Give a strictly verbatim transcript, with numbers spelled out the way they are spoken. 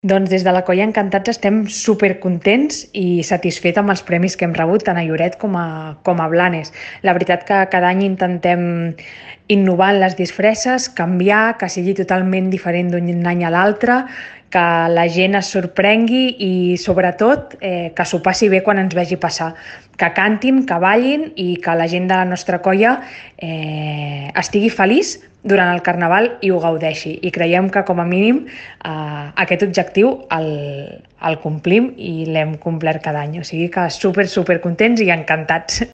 Doncs des de la Colla Encantats estem supercontents i satisfets amb els premis que hem rebut tant a Lloret com a, com a Blanes. La veritat que cada any intentem innovar en les disfresses, canviar, que sigui totalment diferent d'un any a l'altre, que la gent es sorprengui i, sobretot, eh, que s'ho passi bé quan ens vegi passar. Que cantin, que ballin i que la gent de la nostra colla eh, estigui feliç durant el Carnaval i ho gaudeixi. I creiem que, com a mínim, eh, aquest objectiu el, el complim i l'hem complert cada any. O sigui que super, super contents i encantats.